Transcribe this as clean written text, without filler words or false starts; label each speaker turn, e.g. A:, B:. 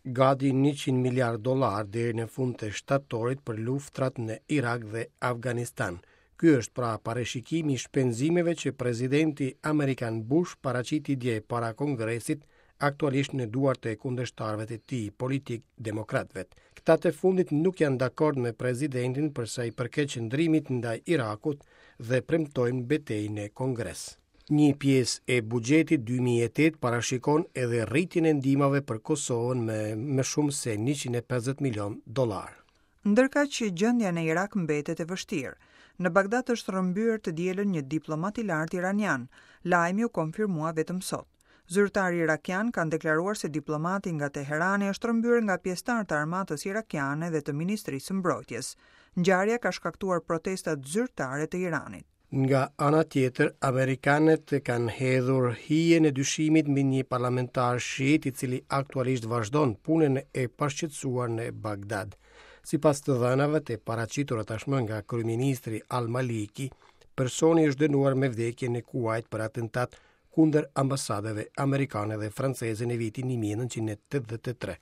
A: Gati 100 miliardë dollarë deri në fund të shtatorit për luftrat në Irak dhe Afganistan. Ky është pra parashikimi i shpenzimeve që presidenti amerikan Bush paraqiti dje para Kongresit, aktualisht në duart e kundërshtarëve të tij politikë demokratëve. Këta të fundit nuk janë dakord me presidentin për sa i përket qëndrimit ndaj Irakut dhe premtojnë betejë në Kongres. Një pjesë e buxhetit 2008 parashikon edhe rritjen e ndihmave për Kosovën me më shumë se 150 milion dollarë.
B: Ndërkaq që gjendja në Irak mbetet e vështirë. Në Bagdad është rrëmbyer të dielën një diplomat i lartë iranian. Lajmi u konfirmua vetëm sot. Zyrtarë irakianë kanë deklaruar se diplomati nga Teherani është rrëmbyer nga pjesëtarë të armatës irakiane dhe të Ministrisë së Mbrojtjes. Ngjarja ka shkaktuar protestat zyrtare të Iranit.
A: Nga ana tjetër, amerikanët kanë hedhur hijen e dyshimit mbi një parlamentar shiit i cili aktualisht vazhdon punën e pashqetësuar në Bagdad. Sipas të dhënave të paraqitura tashmë nga kryeministri Al-Maliki, personi është dënuar me vdekje në Kuwait për atentat kundër ambasadave amerikane dhe franceze në vitin 1983.